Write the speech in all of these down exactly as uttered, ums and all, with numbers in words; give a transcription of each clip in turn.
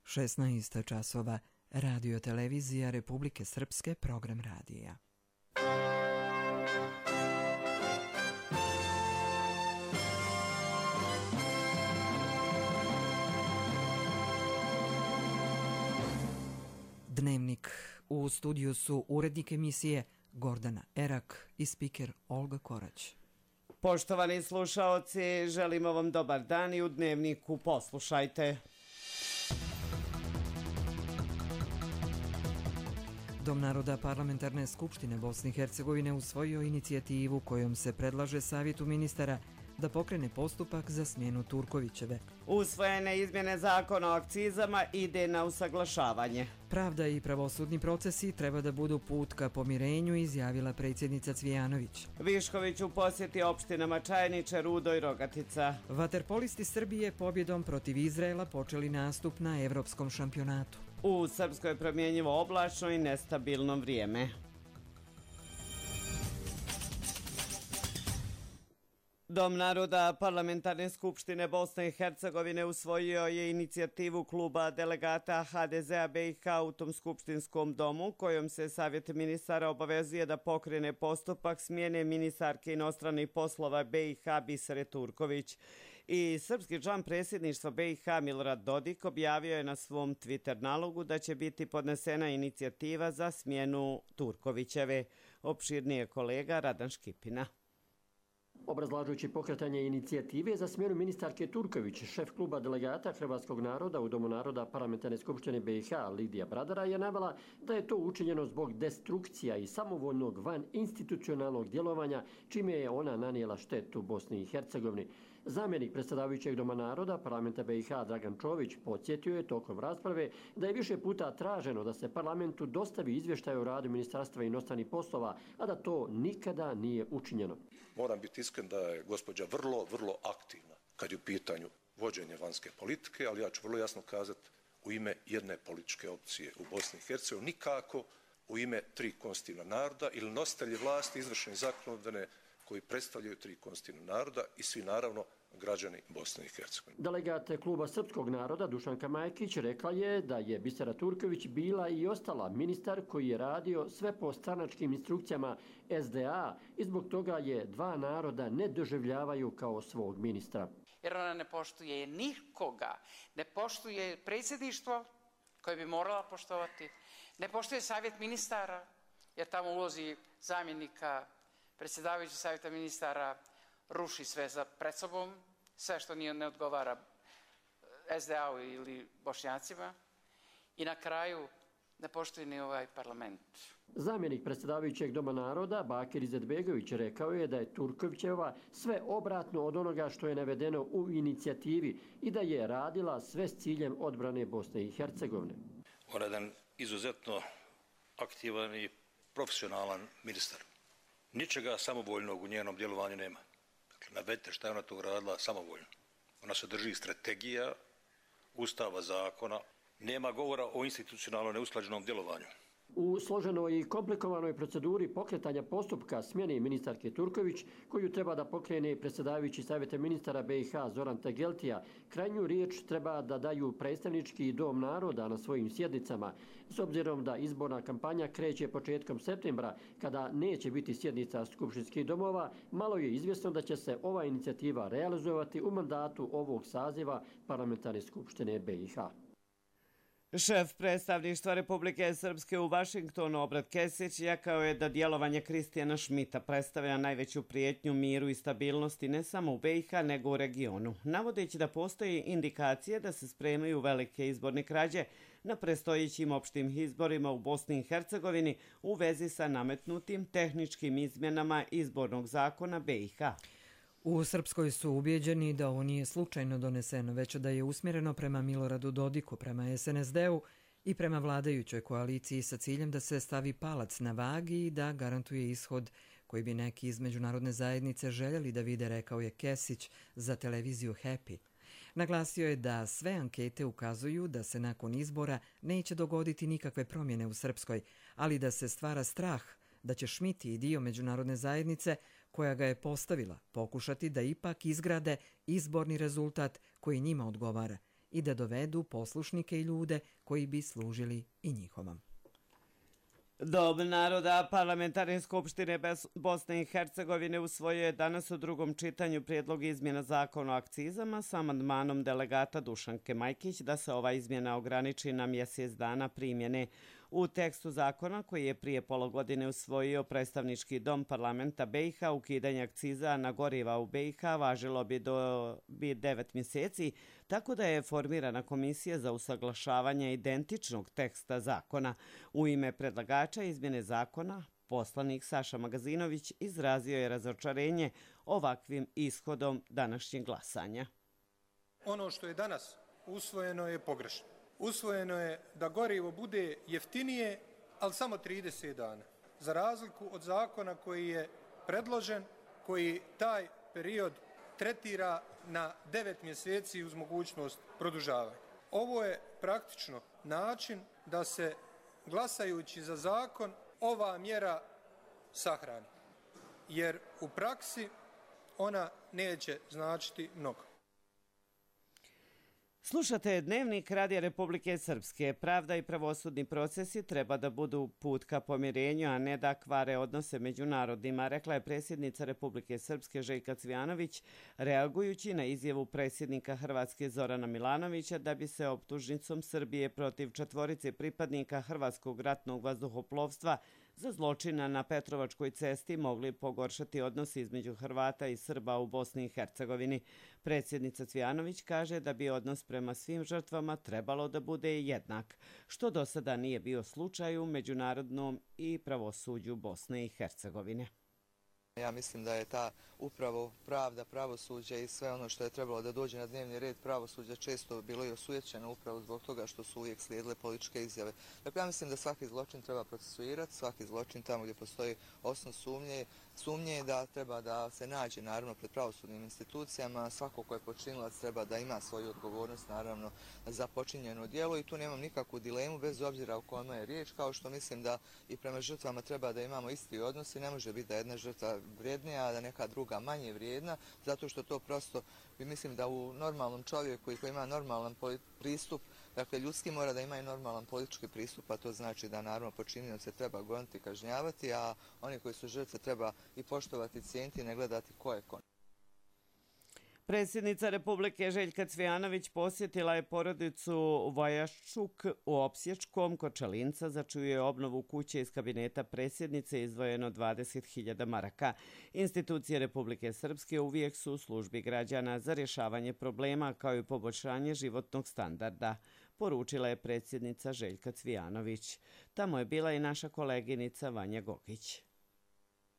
šesnaest časova, Radio televizija Republike Srpske, program radija. Dnevnik. U studiju su urednik emisije Gordana Erak i spiker Olga Korać. Poštovani slušaoci, želimo vam dobar dan i u Dnevniku poslušajte. Dom naroda Parlamentarne skupštine Bosne i Hercegovine usvojio inicijativu kojom se predlaže Savjetu ministara da pokrene postupak za smjenu Turkovićeve. Usvojene izmjene zakona o akcizama ide na usaglašavanje. Pravda i pravosudni procesi treba da budu put ka pomirenju, izjavila predsjednica Cvijanović. Višković u posjeti opštinama Čajniče, Rudo i Rogatica. Vaterpolisti Srbije pobjedom protiv Izraela počeli nastup na evropskom šampionatu. U Srpskoj promjenjivo oblačno i nestabilno vrijeme. Dom naroda Parlamentarne skupštine Bosne i Hercegovine usvojio je inicijativu kluba delegata ha de zea be i ha u tom skupštinskom domu, kojom se Savjet ministara obavezuje da pokrene postupak smjene ministarke inostranih poslova be i ha Bisere Turković. I srpski član predsjedništva be i ha Milorad Dodik objavio je na svom Twitter nalogu da će biti podnesena inicijativa za smjenu Turkovićeve. Opširnije kolega Radan Škipina. Obrazlažujući pokretanje inicijative za smjenu ministarke Turković, šef kluba delegata Hrvatskog naroda u Domu naroda Parlamentarne skupštine be i ha Lidija Bradara je navela da je to učinjeno zbog destrukcija i samovoljnog van institucionalnog djelovanja, čime je ona nanijela štetu Bosni i Hercegovini. Zamjenik predsjedavajućeg Doma naroda Parlamenta be i ha Dragan Čović podsjetio je tokom rasprave da je više puta traženo da se parlamentu dostavi izvještaj o radu Ministarstva inostranih poslova, a da to nikada nije učinjeno. Moram biti iskren da je gospođa vrlo, vrlo aktivna kad je u pitanju vođenje vanjske politike, ali ja ću vrlo jasno kazati u ime jedne političke opcije u Bosni i Hercegovini, nikako u ime tri konstitutivna naroda ili nositelji vlasti izvršne i zakonodavne koji predstavljaju tri konstitutivna naroda i svi naravno građani Bosne i Hercegovine. Delegat kluba Srpskog naroda Dušanka Majkić rekla je da je Bisera Turković bila i ostala ministar koji je radio sve po stranačkim instrukcijama es de a i zbog toga je dva naroda ne doživljavaju kao svog ministra. Jer ona ne poštuje nikoga, ne poštuje predsjedništvo koje bi morala poštovati, ne poštuje savjet ministara jer tamo ulozi zamjenika predsjedavajući savjeta ministara ruši sve za pred sobom, sve što nije ne odgovara es de a-u ili Bošnjacima i na kraju ne poštuje ni ovaj parlament. Zamjenik predsjedavajućeg Doma naroda Bakir Izetbegović rekao je da je Turkovićeva sve obratno od onoga što je navedeno u inicijativi i da je radila sve s ciljem odbrane Bosne i Hercegovine. On je jedan izuzetno aktivan i profesionalan ministar. Ničega samovoljnog u njenom djelovanju nema. Dakle, navedite šta je ona to radila samovoljno. Ona se drži strategija, ustava, zakona. Nema govora o institucionalno neusklađenom djelovanju. U složenoj i komplikovanoj proceduri pokretanja postupka smjene ministarke Turković, koju treba da pokrene predsjedavajući savjeta ministara be i ha Zoran Tegeltija, krajnju riječ treba da daju predstavnički Dom naroda na svojim sjednicama. S obzirom da izborna kampanja kreće početkom septembra, kada neće biti sjednica skupštinskih domova, malo je izvjesno da će se ova inicijativa realizovati u mandatu ovog saziva Parlamentarne skupštine be i ha. Šef predstavništva Republike Srpske u Vašingtonu Obrat Kesić rekao je da djelovanje Kristijana Šmita predstavlja najveću prijetnju miru i stabilnosti ne samo u be i ha nego u regionu, navodeći da postoji indikacije da se spremaju velike izborne krađe na predstojećim opštim izborima u Bosni i Hercegovini u vezi sa nametnutim tehničkim izmjenama izbornog zakona be i ha. U Srpskoj su ubijeđeni da ovo nije slučajno doneseno, već da je usmjereno prema Miloradu Dodiku, prema es en es de-u i prema vladajućoj koaliciji sa ciljem da se stavi palac na vagi i da garantuje ishod koji bi neki iz međunarodne zajednice željeli da vide, rekao je Kesić za televiziju Happy. Naglasio je da sve ankete ukazuju da se nakon izbora neće dogoditi nikakve promjene u Srpskoj, ali da se stvara strah da će Šmit i dio međunarodne zajednice koja ga je postavila pokušati da ipak izgrade izborni rezultat koji njima odgovara i da dovedu poslušnike i ljude koji bi služili i njihovom. Dom naroda Parlamentarne skupštine Bosne i Hercegovine usvojio je danas u drugom čitanju prijedlog izmjena zakona o akcizama sa amandmanom delegata Dušanke Majkić da se ova izmjena ograniči na mjesec dana primjene. U tekstu zakona koji je prije pola godine usvojio predstavnički dom parlamenta B i H, ukidanje akciza na goriva u B i H važilo bi do bi devet mjeseci, tako da je formirana komisija za usaglašavanje identičnog teksta zakona. U ime predlagača izmjene zakona, poslanik Saša Magazinović izrazio je razočarenje ovakvim ishodom današnjeg glasanja. Ono što je danas usvojeno je pogrešno. Usvojeno je da gorivo bude jeftinije, ali samo trideset dana. Za razliku od zakona koji je predložen, koji taj period tretira na devet mjeseci uz mogućnost produžavanja. Ovo je praktično način da se, glasajući za zakon, ova mjera sahrani. Jer u praksi ona neće značiti mnogo. Slušate Dnevnik Radija Republike Srpske. Pravda i pravosudni procesi treba da budu put ka pomirenju, a ne da kvare odnose među narodima, rekla je predsjednica Republike Srpske Željka Cvijanović, reagujući na izjavu predsjednika Hrvatske Zorana Milanovića da bi se optužnicom Srbije protiv četvorice pripadnika Hrvatskog ratnog vazduhoplovstva za zločina na Petrovačkoj cesti mogli pogoršati odnosi između Hrvata i Srba u Bosni i Hercegovini. Predsjednica Cvijanović kaže da bi odnos prema svim žrtvama trebalo da bude jednak, što do sada nije bio slučaj u međunarodnom i pravosuđu Bosne i Hercegovine. Ja mislim da je ta upravo pravda, pravosuđe i sve ono što je trebalo da dođe na dnevni red pravosuđa često bilo i osujećeno upravo zbog toga što su uvijek slijedile političke izjave. Dakle, ja mislim da svaki zločin treba procesuirati, svaki zločin tamo gdje postoji osnov sumnje, sumnje da treba da se nađe naravno pred pravosudnim institucijama, svako ko je počinilac treba da ima svoju odgovornost naravno za počinjeno djelo i tu nemam nikakvu dilemu bez obzira o kome je riječ, kao što mislim da i prema žrtvama treba da imamo isti odnos i ne može biti da jedna žrtva vrijednija, a da neka druga manje vrijedna, zato što to prosto, mislim da u normalnom čovjeku i koji ima normalan pristup, dakle ljudski mora da ima i normalan politički pristup, a to znači da naravno počinioce treba goniti i kažnjavati, a oni koji su žrtve treba i poštovati, cijeniti i ne gledati ko je ko. Predsjednica Republike Željka Cvijanović posjetila je porodicu Vojaščuk u Opsječkom kod Čelinca, za čiju je obnovu kuće iz kabineta predsjednice izdvojeno dvadeset hiljada maraka. Institucije Republike Srpske uvijek su u službi građana za rješavanje problema kao i poboljšanje životnog standarda, poručila je predsjednica Željka Cvijanović. Tamo je bila i naša koleginica Vanja Gogić.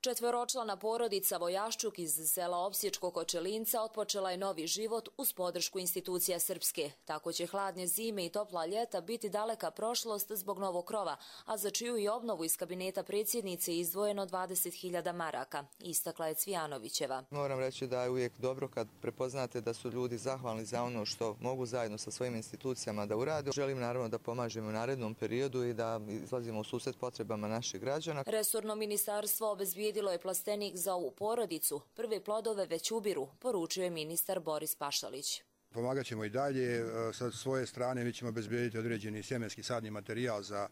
Četvoročlana porodica Vojaščuk iz sela Opsječko kod Čelinca otpočela je novi život uz podršku institucija Srpske. Tako će hladne zime i topla ljeta biti daleka prošlost zbog novog krova, a za čiju i obnovu iz kabineta predsjednice izdvojeno dvadeset hiljada maraka, istakla je Cvijanovićeva. Moram reći da je uvijek dobro kad prepoznate da su ljudi zahvalni za ono što mogu zajedno sa svojim institucijama da urade. Želim naravno da pomažemo u narednom periodu i da izlazimo u susret potrebama naših građana. Resorno ministarstvo obezbijedilo je plastenik za ovu porodicu. Prve plodove već ubiru, poručuje ministar Boris Pašalić. Pomagat ćemo i dalje. Sa svoje strane mi ćemo obezbijediti određeni sjemenski sadni materijal za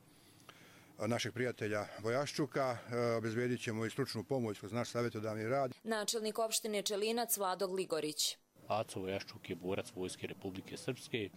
našeg prijatelja Vojaščuka. Obezbijedit ćemo i stručnu pomoć kroz naš savjetodavni rad. Načelnik opštine Čelinac Vlado Gligorić. Aco Vojaščuk je borac Vojske Republike Srpske,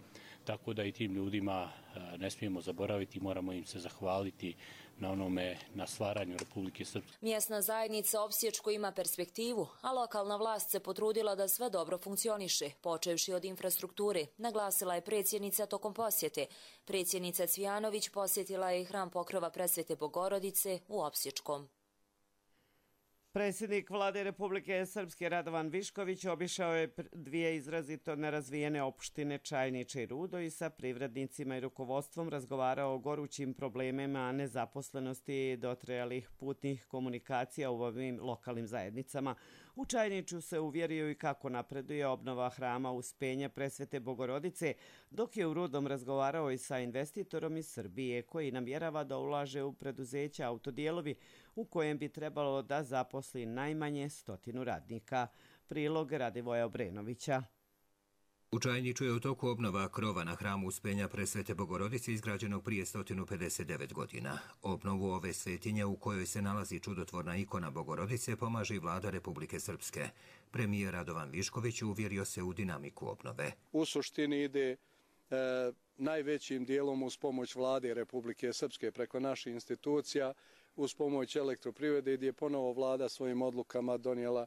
tako da i tim ljudima ne smijemo zaboraviti, moramo im se zahvaliti na onome, na stvaranju Republike Srpske. Mjesna zajednica Opsječko ima perspektivu, a lokalna vlast se potrudila da sve dobro funkcioniše, počevši od infrastrukture, naglasila je predsjednica tokom posjete. Predsjednica Cvijanović posjetila je i hram Pokrova Presvete Bogorodice u Opsječkom. Predsjednik Vlade Republike Srpske Radovan Višković obišao je dvije izrazito nerazvijene opštine Čajniče i Rudo i sa privrednicima i rukovodstvom razgovarao o gorućim problemima nezaposlenosti dotrajalih putnih komunikacija u ovim lokalnim zajednicama. U Čajniču se uvjerio i kako napreduje obnova hrama Uspenja Presvete Bogorodice, dok je u Rudom razgovarao i sa investitorom iz Srbije koji namjerava da ulaže u preduzeća Autodijelovi u kojem bi trebalo da zaposli najmanje stotinu radnika. Prilog Radivoja Obrenovića. U Čajniću je u toku obnova krova na hramu Uspenja Presvete Bogorodice izgrađenog prije sto pedeset devet godina. Obnovu ove svetinje u kojoj se nalazi čudotvorna ikona Bogorodice pomaže i vlada Republike Srpske. Premijer Radovan Višković uvjerio se u dinamiku obnove. U suštini ide e, najvećim dijelom uz pomoć vlade Republike Srpske preko naših institucija, uz pomoć elektroprivrede gdje je ponovo vlada svojim odlukama donijela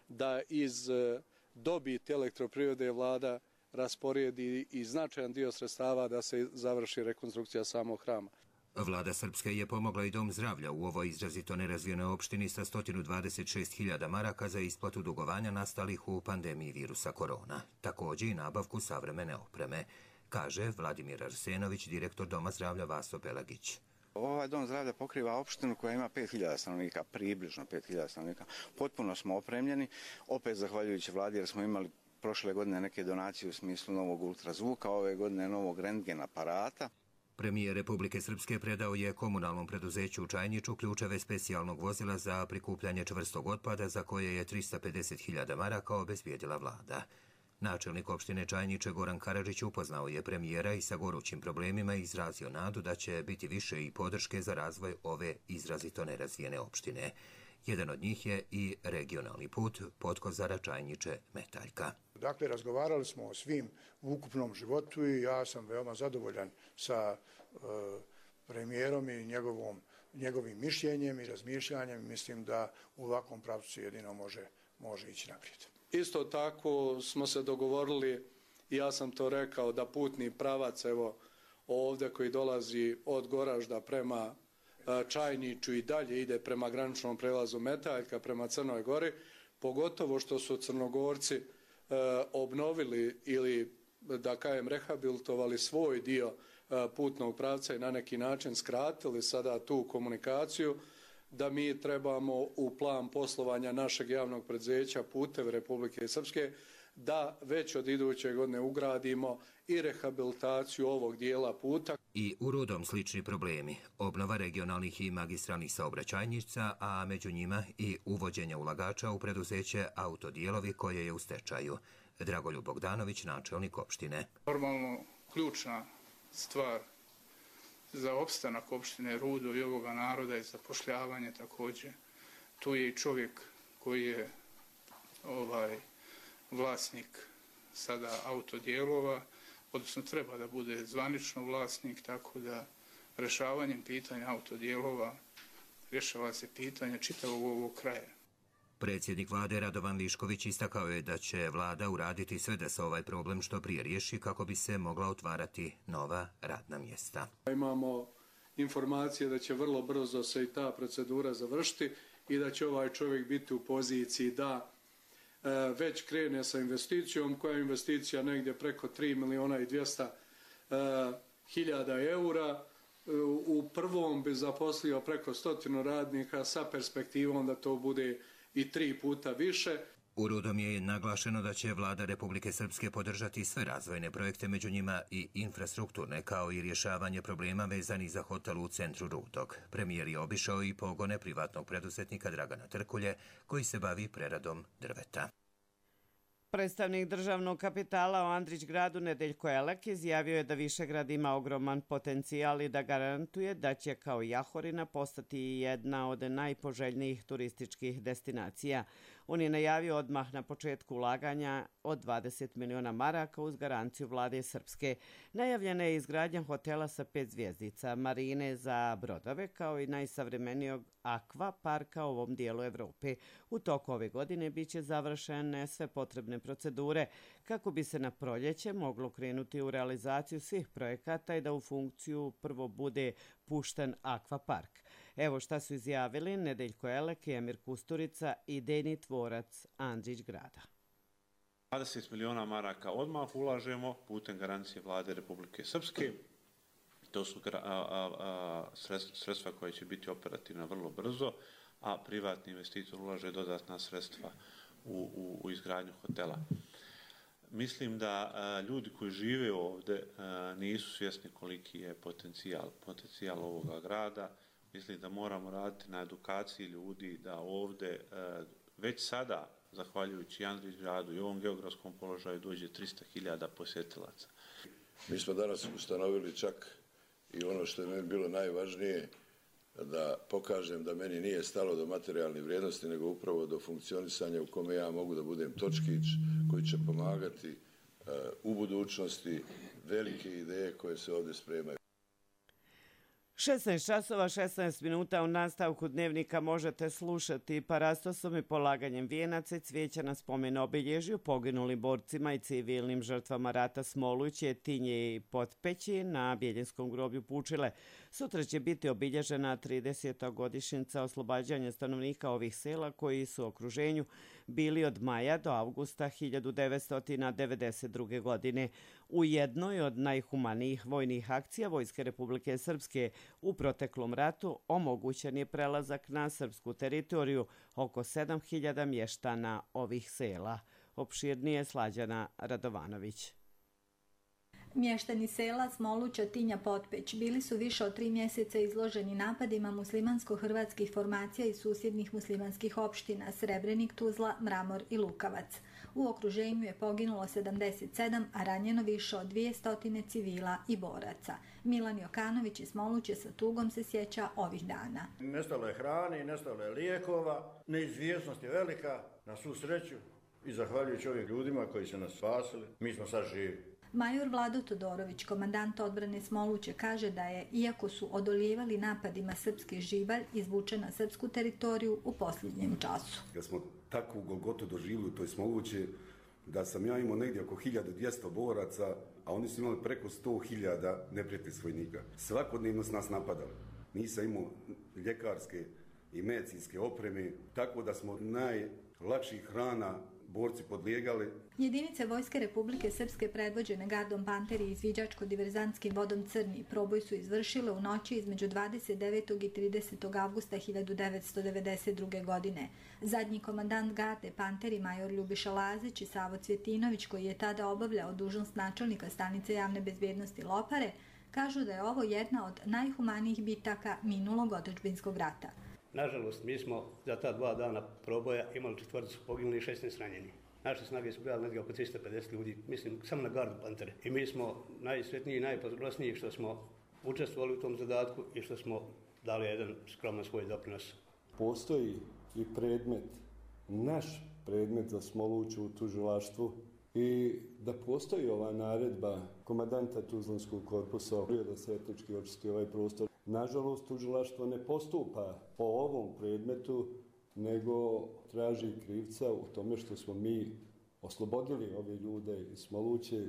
da iz e, dobiti elektroprivrede vlada rasporedi i značajan dio sredstava da se završi rekonstrukcija samog hrama. Vlada Srpske je pomogla i Dom zdravlja u ovoj izrazito nerazvijenoj opštini sa sto dvadeset šest hiljada maraka za isplatu dugovanja nastalih u pandemiji virusa korona. Također i nabavku savremene opreme, kaže Vladimir Arsenović, direktor Doma zdravlja Vaso Pelagić. Ovaj dom zdravlja pokriva opštinu koja ima pet hiljada stanovnika, približno pet hiljada stanovnika. Potpuno smo opremljeni, opet zahvaljujući vladi jer smo imali prošle godine neke donacije u smislu novog ultrazvuka, ove godine novog rentgen aparata. Premijer Republike Srpske predao je komunalnom preduzeću u Čajniću ključeve specijalnog vozila za prikupljanje čvrstog otpada za koje je trista pedeset hiljada maraka obezbijedila vlada. Načelnik opštine Čajniče Goran Karadžić upoznao je premijera i sa gorućim problemima izrazio nadu da će biti više i podrške za razvoj ove izrazito nerazvijene opštine. Jedan od njih je i regionalni put Potkozara Čajniče Metaljka. Dakle, razgovarali smo o svim u ukupnom životu i ja sam veoma zadovoljan sa e, premijerom i njegovom, njegovim mišljenjem i razmišljanjem. Mislim da u ovakvom pravcu jedino može, može ići naprijed. Isto tako smo se dogovorili, i ja sam to rekao, da putni pravac evo ovdje koji dolazi od Goražda prema Čajniću i dalje ide prema graničnom prelazu Metaljka prema Crnoj Gori, pogotovo što su Crnogorci e, obnovili ili da kažem rehabilitovali svoj dio e, putnog pravca i na neki način skratili sada tu komunikaciju, da mi trebamo u plan poslovanja našeg javnog preduzeća Putevi Republike Srpske da već od iduće godine ugradimo i rehabilitaciju ovog dijela puta. I u Rudom slični problemi, obnova regionalnih i magistralnih saobraćajnica, a među njima i uvođenje ulagača u preduzeće Autodijelovi koje je u stečaju. Dragoljub Bogdanović, načelnik opštine. Normalno, ključna stvar za opstanak opštine Rudo i ovoga naroda je zapošljavanje također. Tu je i čovjek koji je ovaj vlasnik sada Autodijelova, odnosno treba da bude zvanično vlasnik, tako da rešavanjem pitanja Autodijelova rješava se pitanje čitavog ovog kraja. Predsjednik vlade Radovan Višković istakao je da će vlada uraditi sve da se ovaj problem što prije riješi kako bi se mogla otvarati nova radna mjesta. Imamo informacije da će vrlo brzo se i ta procedura završiti i da će ovaj čovjek biti u poziciji da e, već krene sa investicijom, koja je investicija negdje preko tri miliona i dvjesto hiljada eura. U prvom bi zaposlio preko stotinu radnika sa perspektivom da to bude i tri puta više. U Rudom je naglašeno da će vlada Republike Srpske podržati sve razvojne projekte, među njima i infrastrukturne, kao i rješavanje problema vezanih za hotel u centru Rudog. Premijer je obišao i pogone privatnog preduzetnika Dragana Trkulje, koji se bavi preradom drveta. Predstavnik državnog kapitala u Andrićgradu Nedeljko Elek izjavio je da Višegrad ima ogroman potencijal i da garantuje da će kao Jahorina postati jedna od najpoželjnijih turističkih destinacija. On je najavio odmah na početku ulaganja od dvadeset miliona maraka uz garanciju vlade Srpske. Najavljena je izgradnja hotela sa pet zvjezdica, marine za brodove, kao i najsavremenijog akva parka u ovom dijelu Evrope. U toku ove godine biće završene sve potrebne procedure kako bi se na proljeće moglo krenuti u realizaciju svih projekata i da u funkciju prvo bude pušten akvapark. Evo šta su izjavili Nedeljko Elek i Emir Kusturica, idejni tvorac Andrićgrada. dvadeset miliona maraka odmah ulažemo putem garancije vlade Republike Srpske. To su sredstva koje će biti operativna vrlo brzo, a privatni investitor ulaže dodatna sredstva u, u, u izgradnju hotela. Mislim da a, ljudi koji žive ovdje a, nisu svjesni koliki je potencijal, potencijal ovoga grada. Mislim da moramo raditi na edukaciji ljudi da ovdje a, već sada zahvaljujući Andrić gradu i ovom geografskom položaju, dođe trista hiljada posjetilaca. Mi smo danas ustanovili čak i ono što je meni bilo najvažnije, da pokažem da meni nije stalo do materijalne vrijednosti, nego upravo do funkcionisanja u kome ja mogu da budem točkić koji će pomagati uh, u budućnosti velike ideje koje se ovdje spremaju. šesnaest časova šesnaest minuta u nastavku dnevnika možete slušati parastosom i polaganjem vijenaca i cvijeća na spomen obilježju poginulim borcima i civilnim žrtvama rata Smoluće, Tinje i Potpeći na Bjeljenskom groblju Pučile. Sutra će biti obilježena trideseta godišnjica oslobađanja stanovnika ovih sela koji su u okruženju bili od maja do avgusta hiljadu devetsto devedeset druge. godine. U jednoj od najhumanijih vojnih akcija Vojske Republike Srpske u proteklom ratu omogućen je prelazak na srpsku teritoriju oko sedam hiljada mještana ovih sela. Opširnije Slađana Radovanović. Mještani sela Smoluća, Tinja, Potpeć bili su više od tri mjeseca izloženi napadima muslimansko-hrvatskih formacija iz susjednih muslimanskih opština Srebrenik, Tuzla, Mramor i Lukavac. U okruženju je poginulo sedamdeset sedam, a ranjeno više od dvjesto civila i boraca. Milan Jokanović iz Smoluće sa tugom se sjeća ovih dana. Nestalo je hrane, nestalo je lijekova, neizvjesnost je velika, na svu sreću i zahvaljujući ovim ljudima koji su nas spasili, mi smo sad živi. Major Vlado Todorović, komandant odbrane Smoluće, kaže da je, iako su odolijevali napadima srpski živalj, izvučen na srpsku teritoriju u posljednjem času. Da smo takvu golgotu doživjeli u toj Smolući, da sam ja imao negdje oko hiljadu dvjesto boraca, a oni su imali preko sto hiljada neprijateljskih vojnika. Svakodnevno su nas napadali. Nisam imao ljekarske i medicinske opreme, tako da smo najlakših hrana borci podlijegali. Jedinice Vojske Republike Srpske predvođene gardom Panteri i izviđačko-diverzantskim vodom Crni proboj su izvršile u noći između dvadeset devetog i tridesetog avgusta hiljadu devetsto devedeset druge. godine. Zadnji komandant garde Panteri, major Ljubiša Lazić i Savo Cvjetinović, koji je tada obavljao dužnost načelnika stanice javne bezbjednosti Lopare, kažu da je ovo jedna od najhumanijih bitaka minulog otadžbinskog rata. Nažalost, mi smo za ta dva dana proboja imali četvrticu poginuli i šesnaest ranjeni. Naše snage su bile negdje oko tristo pedeset ljudi, mislim, samo na gardu Pantere. I mi smo najsretniji i najponosniji što smo učestvovali u tom zadatku i što smo dali jedan skroman svoj doprinos. Postoji i predmet, naš predmet za Smoluću u tužilaštvu i da postoji ova naredba komandanta Tuzlanskog korpusa da se etnički očisti ovaj prostor. Nažalost, tužilaštvo ne postupa po ovom predmetu, nego traži krivca u tome što smo mi oslobodili ove ljude iz Smoluće.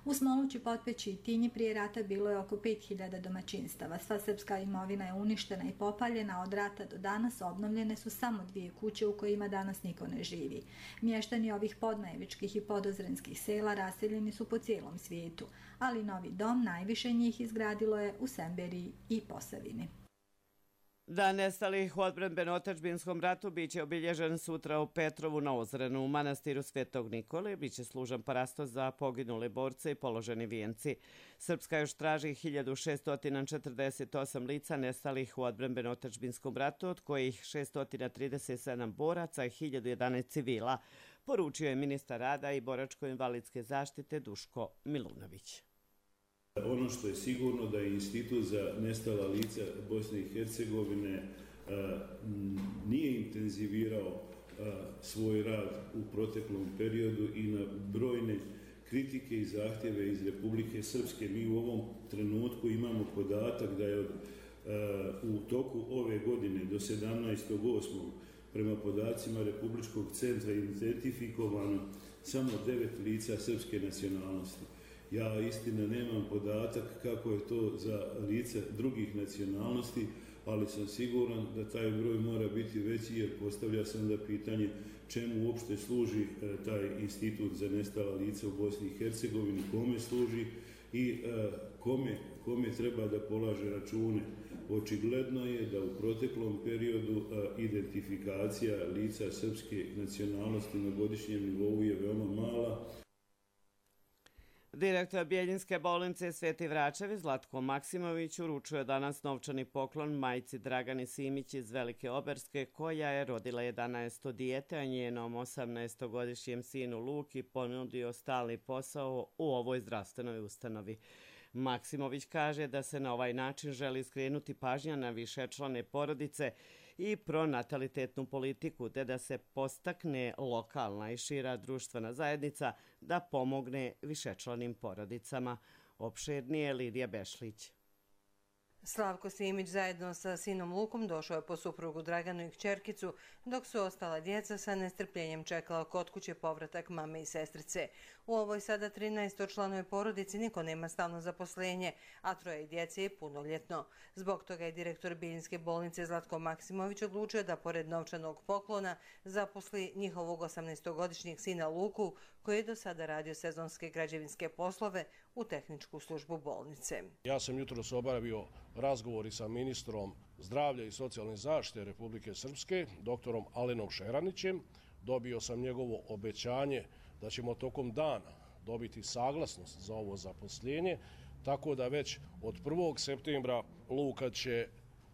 U Smolući, Potpeći i Tinji prije rata bilo je oko pet hiljada domaćinstava. Sva srpska imovina je uništena i popaljena, od rata do danas obnovljene su samo dvije kuće u kojima danas niko ne živi. Mještani ovih podmajevičkih i podozrenskih sela raseljeni su po cijelom svijetu, ali novi dom najviše njih izgradilo je u Semberiji i Posavini. Dan nestalih u odbrambeno-otadžbinskom ratu biće obilježen sutra u Petrovu na Ozrenu. U manastiru Svetog Nikole biće služan parastos za poginule borce i položeni vijenci. Srpska još traži hiljadu šesto četrdeset osam lica nestalih u odbrambeno-otadžbinskom ratu, od kojih šesto trideset sedam boraca i hiljadu jedanaest civila, poručio je ministar rada i boračko-invalidske zaštite Duško Milunović. Ono što je sigurno da je Institut za nestala lica Bosne i Hercegovine nije intenzivirao svoj rad u proteklom periodu i na brojne kritike i zahtjeve iz Republike Srpske. Mi u ovom trenutku imamo podatak da je u toku ove godine do sedamnaestog osmog prema podacima Republičkog centra identifikovano samo devet lica srpske nacionalnosti. Ja istina nemam podatak kako je to za lica drugih nacionalnosti, ali sam siguran da taj broj mora biti veći, jer postavlja se onda pitanje čemu uopšte služi taj institut za nestala lica u Bosni i Hercegovini, kome služi i kome, kome treba da polaže račune. Očigledno je da u proteklom periodu identifikacija lica srpske nacionalnosti na godišnjem nivou je veoma mala. Direktor Bijeljinske bolnice Sveti Vračevi Zlatko Maksimović uručuje danas novčani poklon majci Dragani Simić iz Velike Oberske, koja je rodila jedanaesto dijete, a njenom osamnaestogodišnjem sinu Luki ponudio stalni posao u ovoj zdravstvenoj ustanovi. Maksimović kaže da se na ovaj način želi skrenuti pažnja na višečlane porodice i pronatalitetnu politiku, te da se postakne lokalna i šira društvena zajednica da pomogne višečlanim porodicama. Opširnije Lidija Bešlić. Slavko Simić zajedno sa sinom Lukom došao je po suprugu Draganu i kćerkicu, dok su ostala djeca sa nestrpljenjem čekala kod kuće povratak mame i sestrice. U ovoj sada trinaestočlanoj porodici niko nema stalno zaposlenje, a troje djece je punoljetno. Zbog toga je direktor Bijeljinske bolnice Zlatko Maksimović odlučio da pored novčanog poklona zaposli njihovog osamnaestogodišnjeg sina Luku, koji je do sada radio sezonske građevinske poslove u tehničku službu bolnice. Ja sam jutros obavio razgovori sa ministrom zdravlja i socijalne zaštite Republike Srpske, doktorom Alenom Šeranićem. Dobio sam njegovo obećanje da ćemo tokom dana dobiti saglasnost za ovo zaposlenje, tako da već od prvog septembra Luka će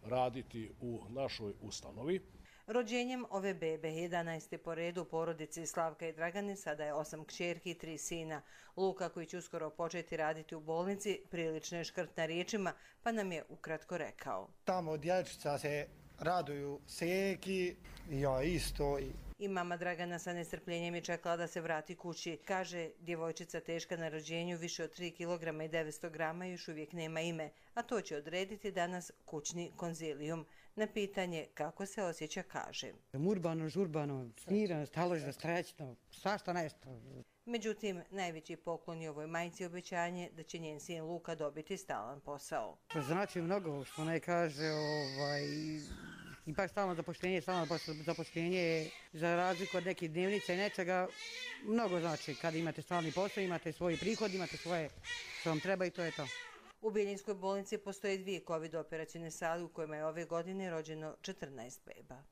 raditi u našoj ustanovi. Rođenjem ove bebe, jedanaeste po redu porodici Slavka i Dragane, sada je osam kćerki i tri sina. Luka, koji će uskoro početi raditi u bolnici, prilično je škrt na riječima, pa nam je ukratko rekao. Tamo od dječca se raduju seki, ja isto. I mama Dragana sa nestrpljenjem je čekala da se vrati kući. Kaže, djevojčica teška na rođenju, više od tri kilograma i devetsto grama, još uvijek nema ime, a to će odrediti danas kućni konzilijum. Na pitanje kako se osjeća kaže. Urbano, žurbano, smirano, staložno, strećno, svašta nešto. Međutim, najveći poklon je ovoj majci obećanje da će njen sin Luka dobiti stalan posao. Znači mnogo što ne kaže, ovaj, ipak stalno zapošljenje, stalno zapošljenje za razliku od nekih dnevnica i nečega, mnogo znači kad imate stalni posao, imate svoj prihod, imate svoje što vam treba i to je to. U Bijeljinskoj bolnici postoje dvije kovid operacijne sale u kojima je ove godine rođeno četrnaest beba.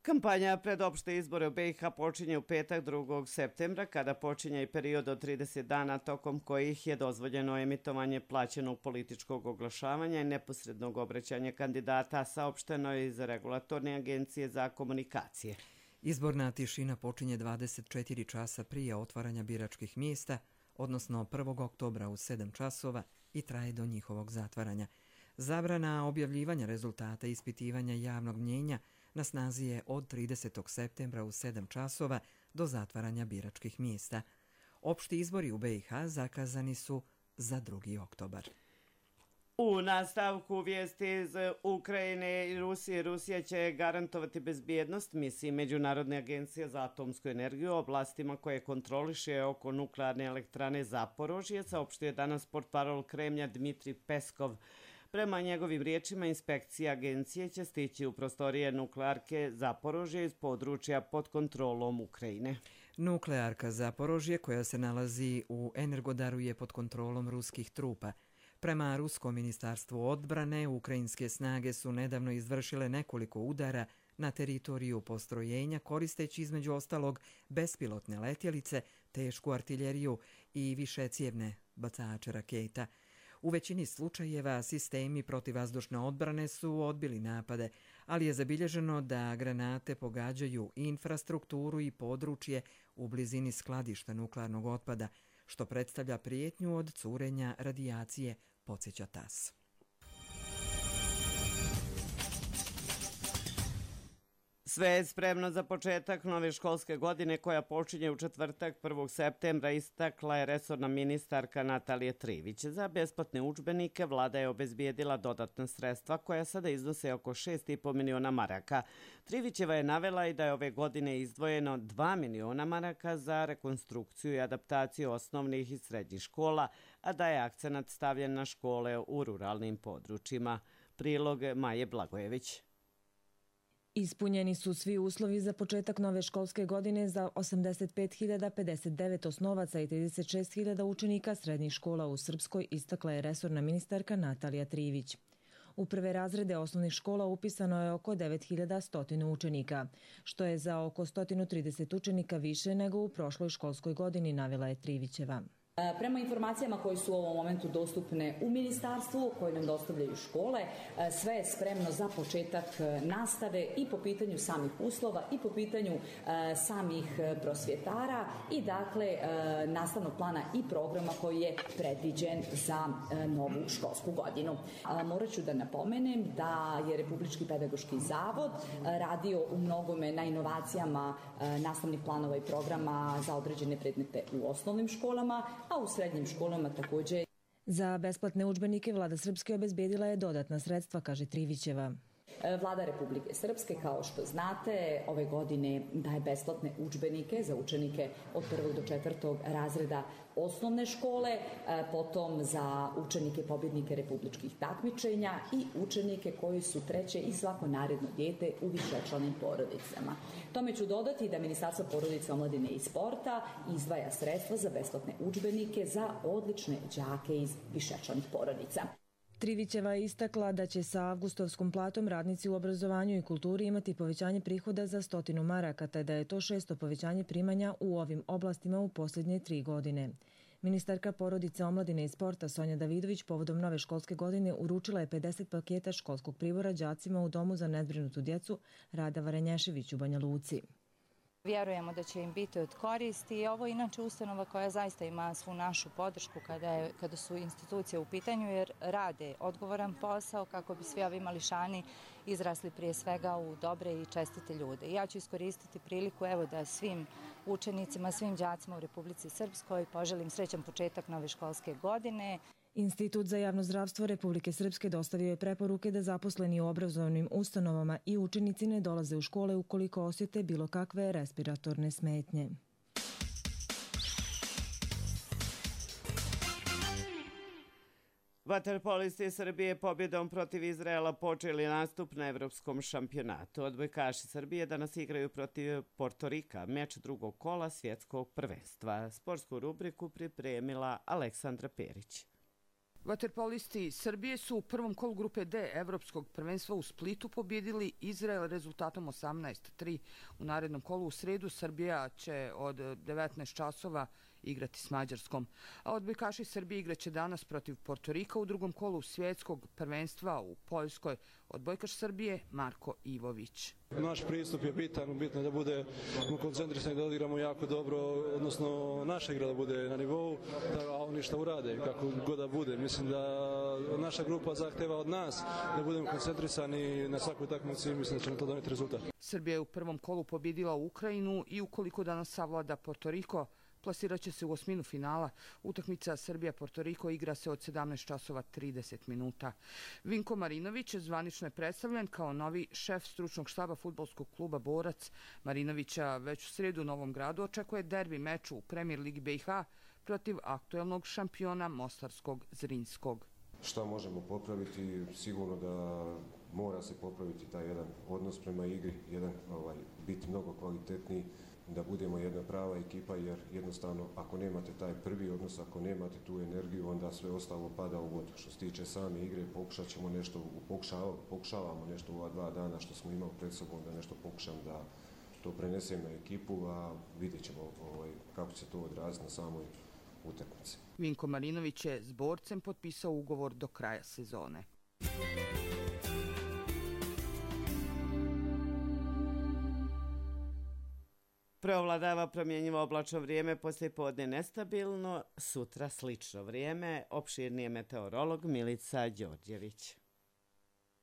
Kampanja pred opšte izbore u B i H počinje u petak drugog septembra, kada počinje i period od trideset dana tokom kojih je dozvoljeno emitovanje plaćenog političkog oglašavanja i neposrednog obraćanja kandidata, saopšteno je iz Regulatorne agencije za komunikacije. Izborna tišina počinje dvadeset četiri časa prije otvaranja biračkih mjesta, odnosno prvog oktobra u sedam časova i traje do njihovog zatvaranja. Zabrana objavljivanja rezultata ispitivanja javnog mnjenja na snazi je od tridesetog septembra u sedam časova do zatvaranja biračkih mjesta. Opšti izbori u B i H zakazani su za drugi oktobar. U nastavku vijesti iz Ukrajine i Rusije, Rusija će garantovati bezbjednost misiji Međunarodne agencije za atomsku energiju u oblastima koje kontroliše oko nuklearne elektrane Zaporožje, saopštio je danas portparol Kremlja Dmitrij Peskov. Prema njegovim riječima, inspekcija agencije će stići u prostorije nuklearke Zaporožje iz područja pod kontrolom Ukrajine. Nuklearka Zaporožje, koja se nalazi u Energodaru, je pod kontrolom ruskih trupa. Prema Ruskom ministarstvu odbrane, ukrajinske snage su nedavno izvršile nekoliko udara na teritoriju postrojenja, koristeći između ostalog bespilotne letjelice, tešku artiljeriju i višecijevne bacače raketa. U većini slučajeva sistemi protivvazdušne odbrane su odbili napade, ali je zabilježeno da granate pogađaju infrastrukturu i područje u blizini skladišta nuklearnog otpada, što predstavlja prijetnju od curenja radijacije, podsjeća TAS. Sve je spremno za početak nove školske godine koja počinje u četvrtak prvog septembra, istakla je resorna ministarka Natalija Trivić. Za besplatne udžbenike vlada je obezbijedila dodatna sredstva koja sada iznose oko šest i po miliona maraka. Trivićeva je navela i da je ove godine izdvojeno dva miliona maraka za rekonstrukciju i adaptaciju osnovnih i srednjih škola, a da je akcenat stavljen na škole u ruralnim područjima. Prilog Maje Blagojević. Ispunjeni su svi uslovi za početak nove školske godine za osamdeset pet hiljada pedeset devet osnovaca i trideset šest hiljada učenika srednjih škola u Srpskoj, istakla je resorna ministarka Natalija Trivić. U prve razrede osnovnih škola upisano je oko devet hiljada sto učenika, što je za oko sto trideset učenika više nego u prošloj školskoj godini, navela je Trivićeva. Prema informacijama koje su u ovom momentu dostupne u ministarstvu, koje nam dostavljaju škole, sve je spremno za početak nastave i po pitanju samih uslova i po pitanju samih prosvjetara i dakle nastavnog plana i programa koji je predviđen za novu školsku godinu. Morat ću da napomenem da je Republički pedagoški zavod radio u mnogome na inovacijama nastavnih planova i programa za određene predmete u osnovnim školama, a u srednjim školama također. Za besplatne udžbenike vlada Srpske obezbedila je dodatna sredstva, kaže Trivićeva. Vlada Republike Srpske, kao što znate, ove godine daje besplatne udžbenike za učenike od prvog do četvrtog razreda osnovne škole, potom za učenike pobjednike republičkih takmičenja i učenike koji su treće i svako naredno dijete u višečlanim porodicama. Tome ću dodati da Ministarstvo porodice, omladine i sporta izdvaja sredstva za besplatne udžbenike za odlične đake iz višečlanih porodica. Trivićeva je istakla da će sa avgustovskom platom radnici u obrazovanju i kulturi imati povećanje prihoda za stotinu maraka, te da je to šesto povećanje primanja u ovim oblastima u posljednje tri godine. Ministarka porodice, omladine i sporta Sonja Davidović povodom nove školske godine uručila je pedeset paketa školskog pribora đacima u Domu za nezbrinutu djecu Rada Varenješević u Banja Luci. Vjerujemo da će im biti od koristi i ovo je inače ustanova koja zaista ima svu našu podršku kada, je, kada su institucije u pitanju jer rade odgovoran posao kako bi svi ovi mališani izrasli prije svega u dobre i čestite ljude. Ja ću iskoristiti priliku evo da svim učenicima, svim đacima u Republici Srpskoj poželim srećan početak nove školske godine. Institut za javno zdravstvo Republike Srpske dostavio je preporuke da zaposleni u obrazovnim ustanovama i učenici ne dolaze u škole ukoliko osjete bilo kakve respiratorne smetnje. Vaterpolisti Srbije pobjedom protiv Izraela počeli nastup na evropskom šampionatu. Odbojkaši Srbije danas igraju protiv Portorika, meč drugog kola svjetskog prvenstva. Sportsku rubriku pripremila Aleksandra Perić. Vaterpolisti Srbije su u prvom kolu grupe D Evropskog prvenstva u Splitu pobjedili Izrael rezultatom osamnaest tri. U narednom kolu u sredu Srbija će od devetnaest časova igrati s Mađarskom. A odbojkaši Srbije igraće danas protiv Portorika u drugom kolu svjetskog prvenstva u Poljskoj. Odbojkaš Srbije Marko Ivović. Naš pristup je bitan, bitno je da budemo koncentrisani, da odigramo jako dobro, odnosno naša igra da bude na nivou, a oni šta urade, kako god da bude. Mislim da naša grupa zahteva od nas da budemo koncentrisani na svakoj utakmici i mislim da će nam to doneti rezultat. Srbija je u prvom kolu pobjedila Ukrajinu i ukoliko danas savlada Portoriko, plasirat će se u osminu finala. Utakmica Srbija-Portoriko igra se od sedamnaest časova trideset minuta. Vinko Marinović zvanično je predstavljen kao novi šef stručnog štaba fudbalskog kluba Borac. Marinovića već u sredu u Novom Gradu očekuje derbi meč u Premier Ligi B i H protiv aktuelnog šampiona Mostarskog Zrinskog. Šta možemo popraviti? Sigurno da mora se popraviti taj jedan odnos prema igri, jedan ovaj, biti mnogo kvalitetniji, da budemo jedna prava ekipa, jer jednostavno ako nemate taj prvi odnos, ako nemate tu energiju, onda sve ostalo pada u vodu. Što se tiče same igre, pokušat ćemo nešto, pokušavamo, pokušavamo nešto u ova dva dana što smo imali pred sobom, da nešto pokušam da to prenesem na ekipu, a vidjet ćemo ovaj, kako će to odraziti na samoj utakmici. Vinko Marinović je s Borcem potpisao ugovor do kraja sezone. Preovladava promjenjivo oblačno vrijeme, poslijepodne nestabilno, sutra slično vrijeme. Opširni je meteorolog Milica Đorđević.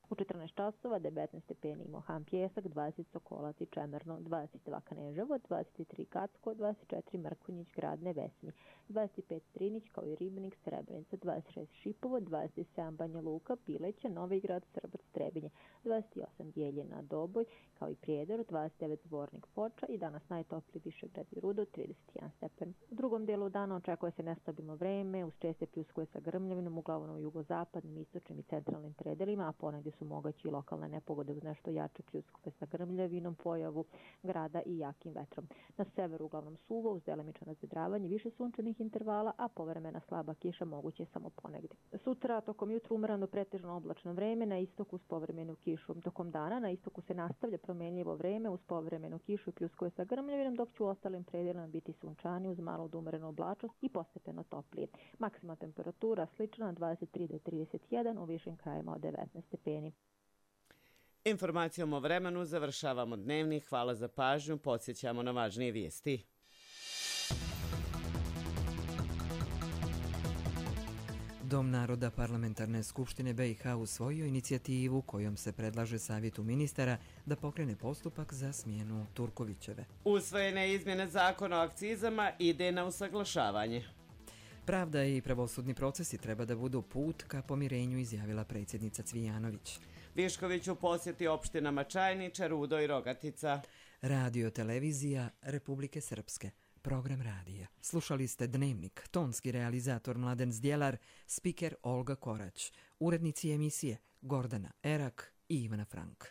U četrnaest časova devetnaest stepeni Mohan Pjesak, dvadeset Sokolac i Čemerno, dvadeset dva Kneževo, dvadeset tri Kacko, dvadeset četiri Mrkonjić, Grad Nevesni, dvadeset pet Strinić kao i Ribnik, Srebrenica, dvadeset šest Šipovo, dvadeset sedam Banja Luka, Pileća, Novi Grad, Srbac, Trebinje, dvadeset osam Bjeljina, Doboj kao i Prijedor, dvadeset devet Zvornik, Foča i danas najtopliji Višegrad i Rudo, trideset jedan stepen. U drugom dijelu dana očekuje se nestabilno vreme, uz česte pljuskove sa grmljavinom, uglavnom u jugozapadnim, istočnim i centralnim predelima, a ponegdje su su mogući lokalne nepogode uz nešto jače pljuskove sa grmljavinom, pojavu grada i jakim vetrom. Na severu uglavnom suvo uz delimično razvedravanje, više sunčanih intervala, a povremena slaba kiša moguće samo ponegdje. Sutra tokom jutra umereno pretežno oblačno vreme, na istoku uz povremenu kišu. Tokom dana na istoku se nastavlja promenljivo vreme uz povremenu kišu i pljuskove sa grmljavinom, dok će u ostalim predelima biti sunčani uz malo od umerenu oblačnost i postepeno toplije. Maksimalna temperatura slična na dvadeset tri do trideset jedan, u višim krajima od devetnaest stepeni. Informacijom o vremenu završavamo dnevni. Hvala za pažnju. Podsjećamo na važnije vijesti. Dom naroda Parlamentarne skupštine B i H usvojio inicijativu kojom se predlaže Savjetu ministara da pokrene postupak za smjenu Turkovićeve. Usvojene izmjene zakona o akcizama ide na usaglašavanje. Pravda i pravosudni procesi treba da budu put ka pomirenju, izjavila predsjednica Cvijanović. Višković u posjeti opštinama Čajniča, Rudo i Rogatica. Radio televizija Republike Srpske. Program radija. Slušali ste Dnevnik, tonski realizator Mladen Zdjelar, spiker Olga Korać, urednici emisije Gordana Erak i Ivana Frank.